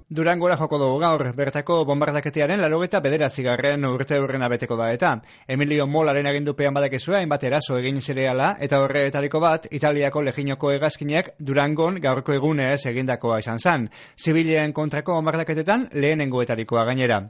Durangora joko dugu gaur, bertako bombardaketearen 89. urteurrena beteko da eta Emilio Molaren agindupean badakezua hainbat eraso egin zireala eta horretariko bat Italiako leginoko hegazkinak Durangon gaurko egunez egindakoa izan zen. Zibilen kontrako bombardaketetan lehenengoetarikoa gainera.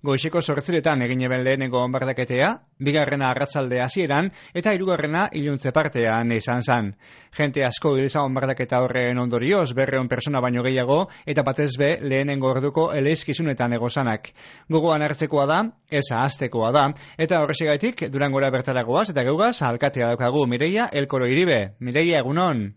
Goizeko 8:00 egin eben lehenengo bombardaketea, bigarrena arratzalde hasieran eta hirugarrena iluntze partean izan zen. Jente asko hil zen bombardaketa horren ondorioz 200 pertsona baino gehiago eta batez be lehenengo orduko eleizkizunetan egozanak. Gogoan hartzekoa da, ez ahaztekoa da, eta horrexegatik Durangora bertaragoaz eta geugaz alkatea daukagu Mireia Elkoro Iribe. Mireia, egunon?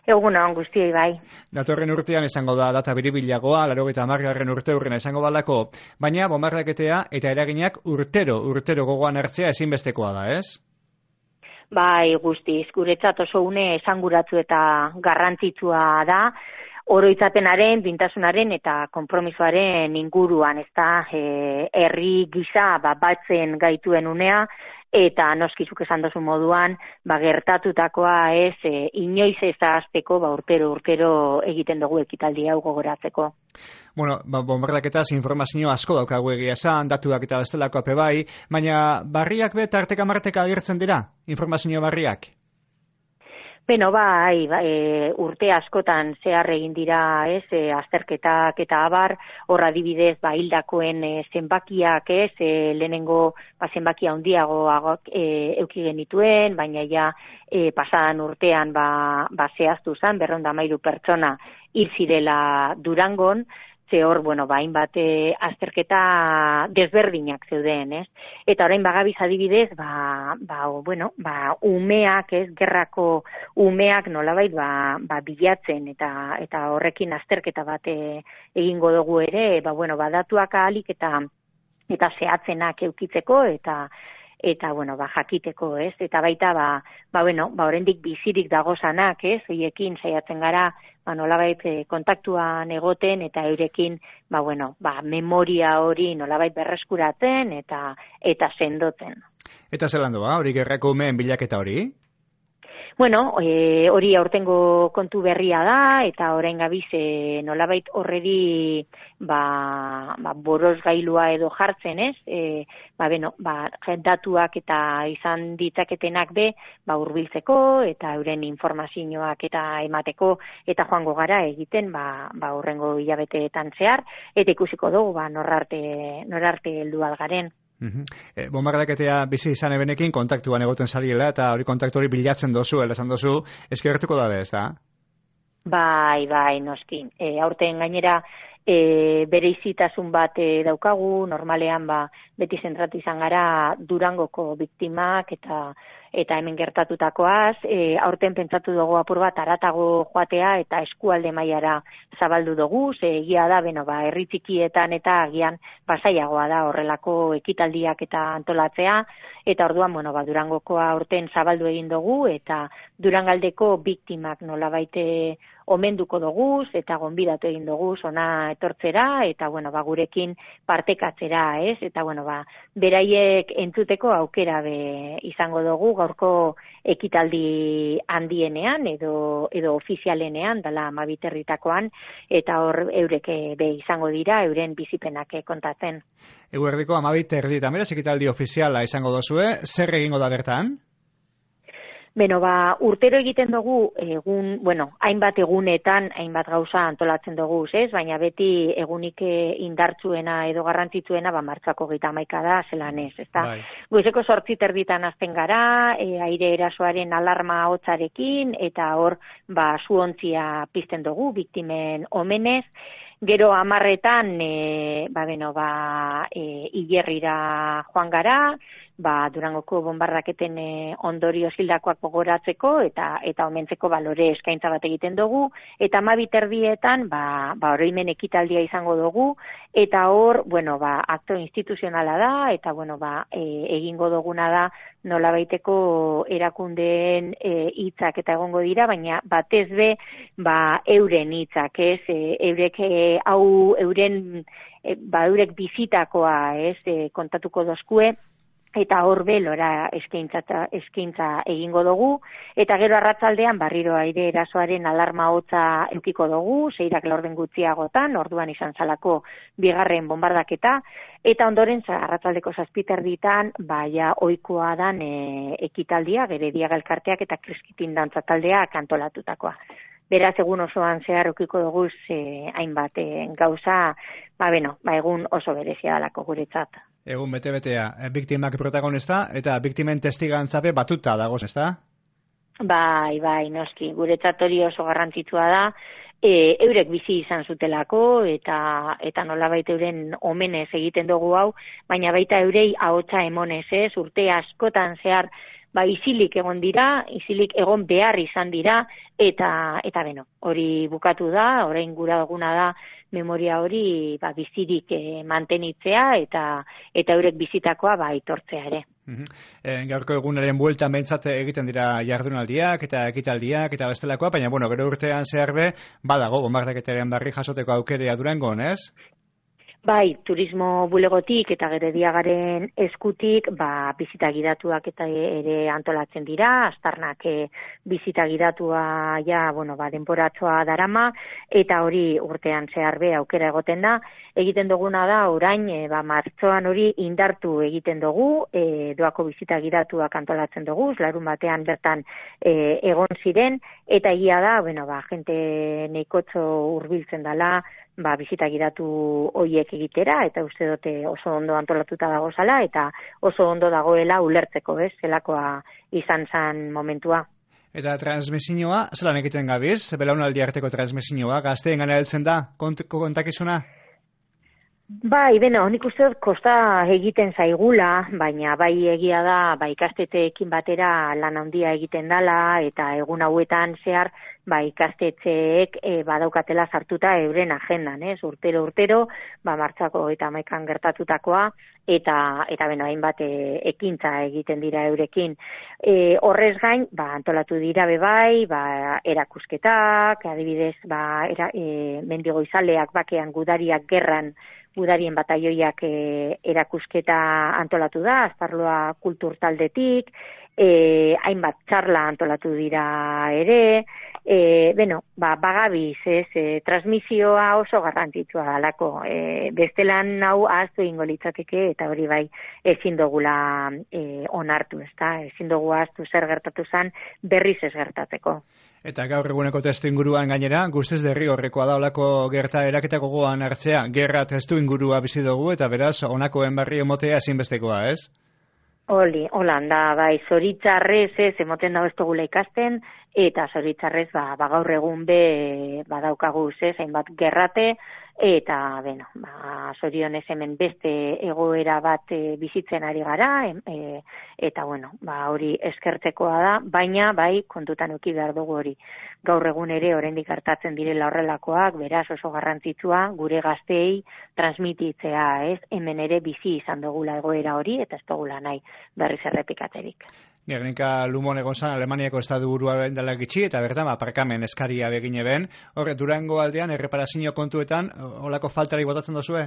Egunon, guztiei bai. Datorren urtean izango da data biribilagoa, 90. urteurrena izango balako, baina bombardaketea eta eraginak urtero gogoan hartzea ezinbestekoa da, ez? Bai, guztiz, guretzat oso une esanguratsu eta garrantzitsua da, oroitzapenaren, duintasunaren eta konpromisoaren inguruan, ezta, herri gisa batzen gaituen unea, eta noskizuk esan dozu moduan, gertatutakoa ez, inoiz ez ahazteko, urtero egiten dugu ekitaldi hau gogoratzeko. Bueno, bombardaketaz informazio asko daukagu egia esan, datuak eta bestelako ape bai, baina barriak be tarteka marteka agertzen dira, informazio barriak? Beno, bai, urte askotan zehar egin dira, ez, azterketak eta abar, horra adibidez, hildakoen zenbakiak, ez, lehenengo zenbakia handiago euki genituen, baina ja pasadan urtean zehaztu zen, 213 pertsona hil zirela Durangon, ze hor, hainbat azterketa desberdinak zeuden, ez? Eta orain bagabiz adibidez, umeak, ez, gerrako umeak nolabait bilatzen eta horrekin azterketa bat egingo dugu ere, datuak ahalik eta zehatzenak eukitzeko eta jakiteko, ez? Eta baita, oraindik bizirik dagozanak, ez? Hoiekin saiatzen gara, nolabait kontaktuan egoten eta eurekin, memoria hori nolabait berreskuratzen eta sendotzen. Eta zelan doa, hori gerrako umeen bilaketa hori? Hori aurtengo kontu berria da, eta orain gabiz nolabait horreri borosgailua edo jartzen, ez? Datuak eta izan ditzaketenak be, hurbiltzeko eta euren informazioak eta emateko eta joango gara egiten, horrengo hilabeteetan zehar, eta ikusiko dugu, norarte heldu algaren. Bombardaketea bizi izan ebenekin kontaktuan egoten zariela eta hori kontaktu hori bilatzen dozu, esan dozu, eskertuko da ez da? Bai, noski. Aurten gainera bereizitasun bat daukagu, normalean beti zentratu izan gara Durangoko biktimak eta hemen gertatutakoaz, aurten pentsatu dugu apur bat haratago joatea eta eskualde mailara zabaldu dugu, ze egia da, herri txikietan eta agian pasaiagoa da horrelako ekitaldiak eta antolatzea, eta orduan, Durangokoa aurten zabaldu egin dugu, eta Durangaldeko biktimak nolabait omenduko dugu, eta gonbidatu egin dugu ona etortzera, eta gurekin partekatzera, ez? Eta beraiek entzuteko aukera izango dugu gaurko ekitaldi handienean edo ofizialenean, dala 12 herritakoan, eta hor eurek izango dira, euren bizipenak kontatzen. Eguerdiko 12 herritan, beraz ekitaldi ofiziala izango dozue, zer egingo da bertan? Urtero egiten dugu hainbat egunetan, hainbat gauza antolatzen dugu, ez? Baina beti egunik indartsuena edo garrantzitsuena martxoako 31 da, zelan ez, ezta? Bai. Goizeko 8:00 hasten gara, aire erasoaren alarma hotzarekin, eta hor, zuontzia pizten dugu, biktimen omenez. Gero 10:00 hilerrira joan gara, Durangoko bombardaketen ondorio hildakoak gogoratzeko eta omentzeko balore eskaintza bat egiten dugu, eta 12:30 oroimen ekitaldia izango dugu, eta hor, akto instituzionala da, eta egingo duguna da nolabaiteko erakundeen hitzak eta egongo dira, baina batez be, euren hitzak, ez? Eurek eurek bizitakoa, ez? Kontatuko dozkue, eta hor belora eskaintza egingo dugu, eta gero arratzaldean barriro aire erasoaren alarma hotza edukiko dugu, 6 laurden gutxiagotan, orduan izan zalako bigarren bombardaketa, eta ondoren arratzaldeko 7:00 ja ohikoa dan ekitaldia, Gerediaga elkarteak eta Kriskitin dantza taldeak antolatutakoa. Beraz, egun osoan zehar edukiko dugu hainbat gauza, egun oso berezia dalako guretzat. Egun bete-betea, biktimak protagonista eta biktimen testigantzape batuta dagoz, ezta? Bai, noski, guretzat hori oso garrantzitsua da, eurek bizi izan zutelako eta nolabait euren omenez egiten dugu hau, baina baita eurei ahotsa emonez, urte askotan zehar isilik egon dira, isilik egon behar izan dira, eta hori bukatu da, orain gura duguna da memoria hori bizirik mantenitzea eta eurek bizitakoa aitortzea ere. Gaurko egunaren bueltan behintzat egiten dira jardunaldiak eta ekitaldiak eta bestelakoa, baina gero urtean zehar badago bombardaketaren berri jasoteko aukerea Durangon, ez? Bai, turismo bulegotik eta Gerediagaren eskutik, bizita gidatuak eta ere antolatzen dira, Aztarnak bizita gidatua denporatzoa darama, eta hori urtean zehar aukera egoten da. Egiten duguna da, orain, martxoan hori indartu egiten dugu, doako bizita gidatuak antolatzen dugu, larun batean bertan egon ziren, eta egia da, jente neikotxo hurbiltzen dela, bizita gidatu horiek egitera, eta uste dute oso ondo antolatuta dagozala, eta oso ondo dagoela ulertzeko, zelakoa izan zen momentua. Eta transmisioa, zelan egiten gabiz? Belaunaldi arteko transmisioa, gazteen gana heltzen da, kontakizuna? Bai, nik uste dut kosta egiten zaigula, baina bai egia da, ikastetxeekin batera lan handia egiten dala, eta egun hauetan zehar, ikastetxeek badaukatela sartuta euren agendan, urtero, martxako eta 11 gertatutakoa, eta hainbat ekintza egiten dira eurekin. Horrez gain, antolatu dira bebai, erakusketak, adibidez, mendigoizaleak bakean gudariak gerran, gudarien bataioiak erakusketa antolatu da, Azparloa kultur taldetik, hainbat txarla antolatu dira ere, bagabiz, transmisioa oso garrantzitsua dalako, bestelan hau ahaztu egingo litzateke, eta hori ezin dugula onartu, ezin dugu ahaztu zer gertatu zen berriz ez gertatzeko. Eta gaur eguneko testu inguruan gainera, guztiz derrigorrekoa da olako gertaeraketako gogoan hartzea, gerra testu ingurua bizi dugu, eta beraz, honakoen barri emotea ezinbestekoa, ez? Holan da, zoritzarrez emoten dago ez dugula ikasten, eta zoritzarrez gaur egun badaukagu hainbat gerrate, eta zorionez hemen beste egoera bat bizitzen ari gara, eta hori eskertzekoa da, baina kontutan eduki behar dugu hori. Gaur egun ere oraindik gertatzen direla horrelakoak, beraz oso garrantzitsua gure gazteei transmititzea, hemen ere bizi izan dugula egoera hori, eta ez dugula nahi berriz errepikatzerik. Gernika Lumon egon zan Alemaniako estadu buruaren dela gitxi, eta bertan parkamen eskaria begine ben. Horre, Durango aldean, erreparazio kontuetan, olako faltari botatzen dozue?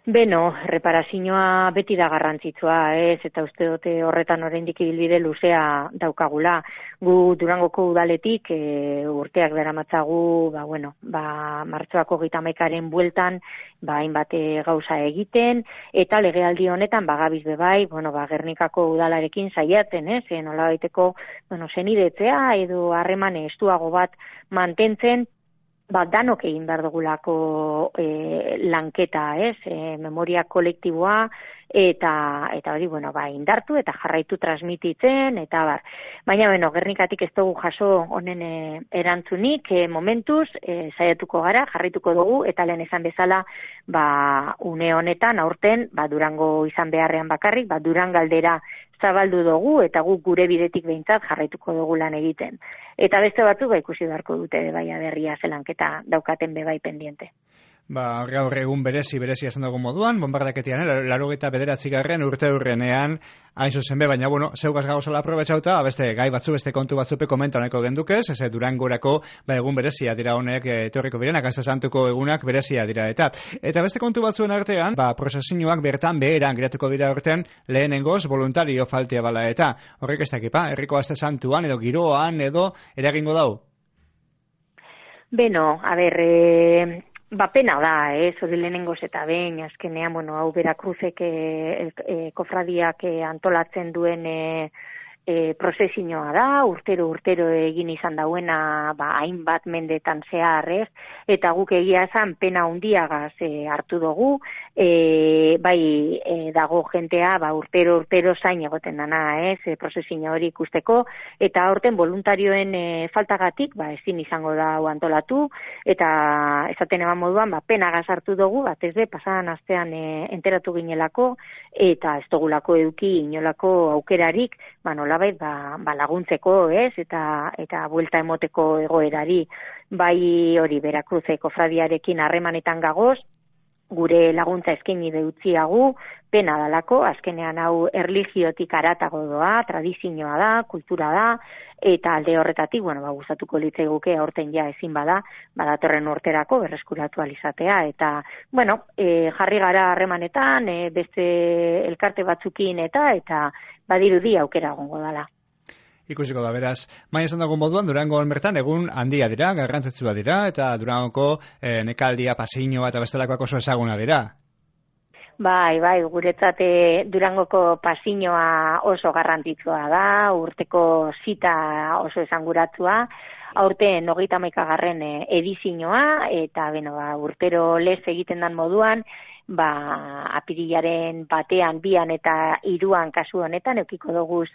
Reparazioa beti da garrantzitsua, eta uste dute horretan oraindik ibilbide luzea daukagula. Gu Durangoko udaletik urteak daramatzagu, martxoako 31 bueltan, hainbat gauza egiten, eta legealdi honetan bagabiz bebai, Gernikako udalarekin saiatzen, nolabaiteko, senidetzea edo harreman estuago bat mantentzen, danok egin behar dugulako lanketa, memoria kolektiboa, eta hori, indartu eta jarraitu transmititzen, eta bar. Baina, Gernikatik ez dugu jaso honen erantzunik, momentuz, saiatuko gara, jarraituko dugu, eta lehen esan bezala, une honetan, aurten, Durango izan beharrean bakarrik, Durangaldera zabaldu dugu, eta guk gure bidetik behintzat jarraituko dugu lan egiten. Eta beste batzuk ikusi beharko dute berria zelanketa daukaten bebai pendiente. Gaur egun berezi esan dugu moduan, bombardaketian, 89. urte hurrenean, hain zuzen be, baina, zeugaz gauzala aprobetxauta, beste gai batzu, beste kontu batzupe komentaneko gendukez, Durangorako, egun berezia dira honek, etorriko birenak, Aste Santuko egunak berezia dira, eta beste kontu batzuen artean, prozesioak bertan beheran giratuko dira urtean, lehenengoz voluntario faltea bala, eta horrek ez dakipa, herriko Aste Santuan, edo giroan, edo eragingo dau? Beno, pena da, hori lehenengoz eta behin, azkenean, hau Berakruzek kofradiak antolatzen duen prozesioa da, urtero egin izan dauena, hainbat mendetan zehar, eta guk egia esan pena handiagaz hartu dugu, dago jentea, urtero zain egoten dana, prozesio hori ikusteko, eta aurten voluntarioen faltagatik, ezin izango da antolatu, eta esaten eman moduan, penagaz hartu dugu, batez be, pasadan astean enteratu ginelako, eta ez dugulako eduki inolako aukerarik, nolabait laguntzeko, eta buelta emoteko egoerari, hori Berakruzeko kofradiarekin harremanetan gagoz, gure laguntza eskaini deutziagu, pena dalako, azkenean hau erlijiotik haratago doa, tradizioa da, kultura da, eta alde horretatik, gustatuko litzaiguke aurten ja ezin bada, datorren urterako berreskuratu alizatea, eta, jarri gara harremanetan, beste elkarte batzukin eta badirudi aukera egongo dala. Ikusiko da, beraz, esan dago moduan, Durangon bertan egun handia dira, garrantzitsua dira, eta Durangoko nekaldia, pasiñoa eta bestelakoak oso ezaguna dira. Bai, guretzat Durangoko pasiñoa oso garrantzitsua da, urteko zita oso esanguratsua, aurten 31. edizioa, eta urtero lez egiten dan moduan, apirilaren batean, 2 eta 3 kasu honetan, eukiko doguz,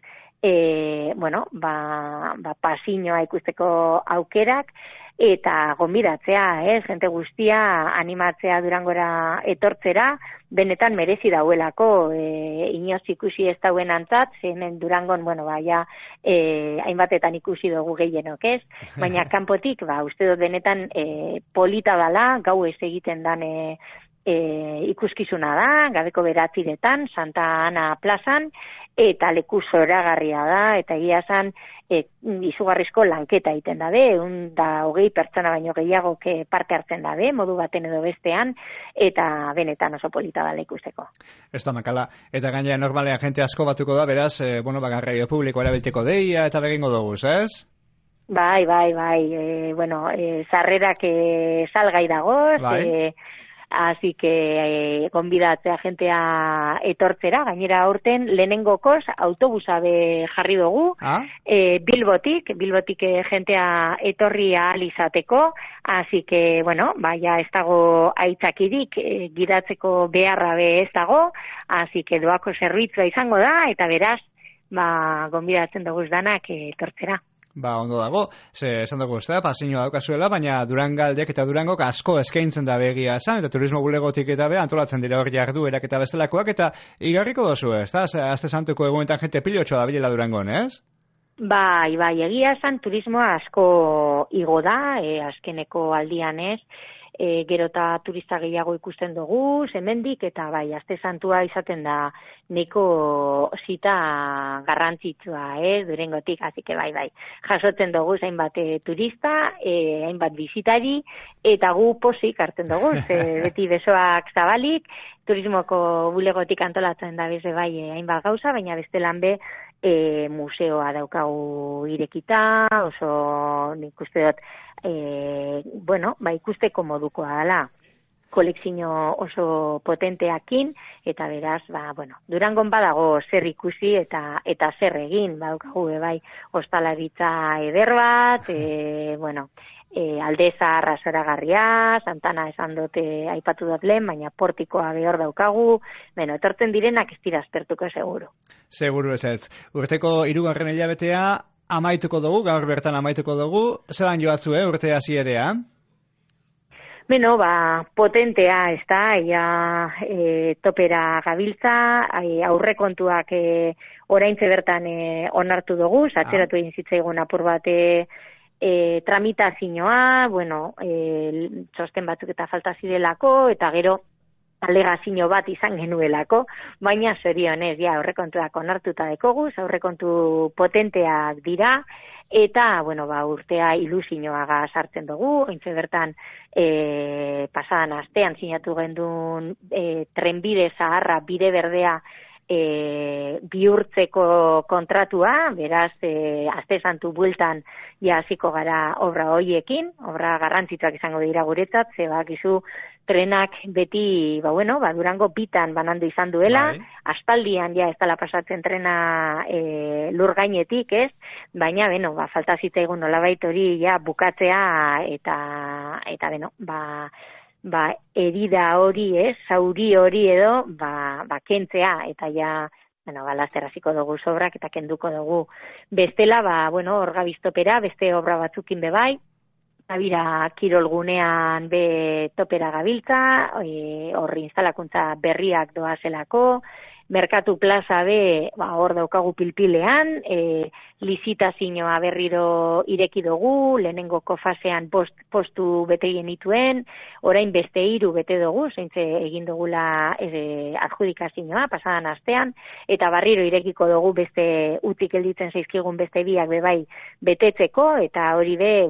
pasiñoa ikusteko aukerak, eta gonbidatzea, jente guztia animatzea Durangora etortzera, benetan merezi dauelako, inoz ikusi ez dauen antzat, hemen Durangon, hainbatetan ikusi dugu gehienok, baina kanpotik, uste dut benetan polita dala, gau ez egiten dan ikuskizuna da, gabeko 9:00 Santa Ana plazan, eta leku zoragarria da, eta egia esan izugarrizko lanketa egiten dabe, 120 pertsona baino gehiago parte hartzen dabe, modu baten edo bestean, eta benetan oso polita dala ikusteko. Ez da makala, eta gainera normalean jente asko batuko da, beraz, garraio publiko erabilteko deia, eta begingo dugu, ez? Bai, sarrerak salgai dagoz, así que gonbidatzea jentea etortzera, gainera aurten lehenengokoz autobusa jarri dugu, Bilbotik jentea etorri ahal izateko, así que, ez dago aitzakirik, gidatzeko beharra ez dago, así que doako zerbitzua izango da, eta beraz, gonbidatzen dugu danak etortzera. Ondo dago, esan dugu pasiñoa daukazuela, baina Durangaldek eta Durangok asko eskaintzen da begia esan, eta turismo bulegotik eta antolatzen dira hor jarduerak eta bestelakoak, eta igarriko dozu, ez da? Aste Santuko egunetan jente pilotxoa da bilela Durangon, ez? Bai, egia esan turismoa asko igo da, azkeneko aldian ez, gero eta turista gehiago ikusten dugu, hemendik eta Aste Santua izaten da neko zita garrantzitsua, Durangotik, así que bai, jasotzen dugu hainbat turista, hainbat bizitari, eta gu posik hartzen dugu, beti besoak zabalik, turismoko bulegotik antolatzen da beze hainbat gauza, baina bestelan be, museoa daukagu irekita, oso nik uste dut, ikusteko modukoa dela, kolekzio oso potenteakin, eta beraz, Durangon badago zer ikusi eta zer egin, badaukagu ostalaritza eder bat, Aldeza zoragarria, Santana esan dute aipatu dut lehen, baina portikoa behor daukagu, etortzen direnak ez dira aspertuko seguru. Seguru ez. Urteko 3. hilabetea amaituko dugu, gaur bertan amaituko dugu, zelan joatzu, urte hasierea? Potentea, ez da, topera gabiltza, aurrekontuak oraintze bertan onartu dugu, satzeratu egin zitzaigun apur bat tramitazioa, bueno, txosten batzuk eta falta zirelako, eta gero alegazio bat izan genuelako, baina zorionez, ja, aurrekontuak onartuta dekogu, aurrekontu potenteak dira, eta, bueno, urtea ilusioaga sartzen dugu, ointxe bertan pasadan astean sinatu gendun trenbide zaharra, bide berdea bihurtzeko kontratua, beraz, aste santu bueltan hasiko gara obra hoiekin, obra garrantzitsuak izango dira guretzat, ze bakizu trenak beti, Durango bitan banandu izan duela, aspaldian ez dela pasatzen trena lur gainetik, ez? Baina, falta zitzaigun nolabait hori bukatzea eta herida hori, zauri hori edo, kentzea, eta laster hasiko dugu sobrak eta kenduko dugu. Bestela, hor gabiztopera, beste obra batzukin bebai, Abira kirolgunean be topera gabiltza, horri instalakuntza berriak doazelako, Merkatu plaza be, hor daukagu pilpilean, lizitazioa berriro ireki dugu, lehenengoko fasean postu bete genituen, orain beste 3 bete dugu, zeintze egin dugula adjudikazioa pasadan astean, eta berriro irekiko dugu beste utik gelditzen zaizkigun beste 2 bebai betetzeko, eta hori be,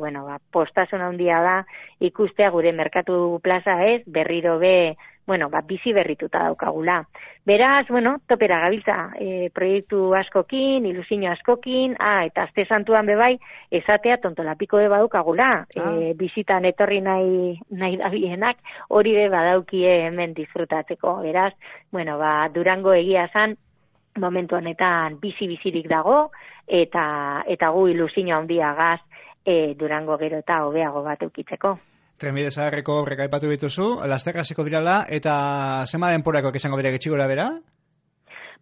postasun handia da ikustea gure Merkatu plaza ez, berriro be, bizi berrituta daukagula. Beraz, topera gabiltza, proiektu askokin, ilusio askokin, eta aste santuan bebai, esatea tontolapiko be badukagula, bizitan etorri nahi dabienak, hori be badaukie hemen disfrutatzeko. Beraz, Durango egia zan, momentu honetan bizirik dago, eta gu ilusio handiagaz Durango gero eta hobeago bat eukitzeko. Trenbide zaharreko horrek aipatu dituzu, laster hasiko dirala, eta zema denporakoak izango dira gitxi gora bera?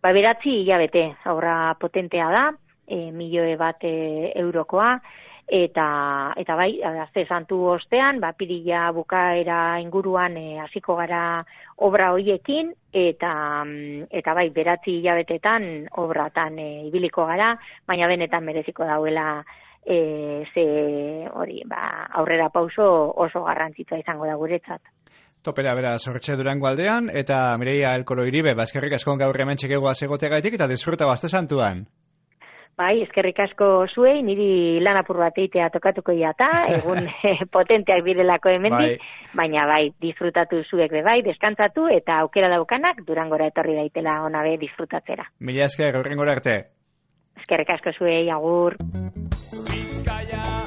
9 hilabete, obra potentea da, 1.000.000 eurokoa, eta bai, aste santu ostean, pirila bukaera inguruan hasiko gara obra hoiekin, eta bai, 9 hilabetetan obratan ibiliko gara, baina benetan mereziko dauela aurrera pauso oso garrantzitsua izango da guretzat. Topera bera Sortxe Durango aldean, eta Mireia Elkolo Iribe, eskerrik asko gaur hemen txekegoa egoteagaitik eta disfruta aste santuan. Bai, eskerrik asko zuei, niri lan apur bat eitea tokatuko jata, egun potenteak direlako hemendik, baina disfrutatu zuek bai, deskantzatu, eta aukera daukanak Durangora etorri daitela ona be disfrutatzera. Mila esker, aurrengora arte. Eskerrik asko zuei, agur. Bizkaia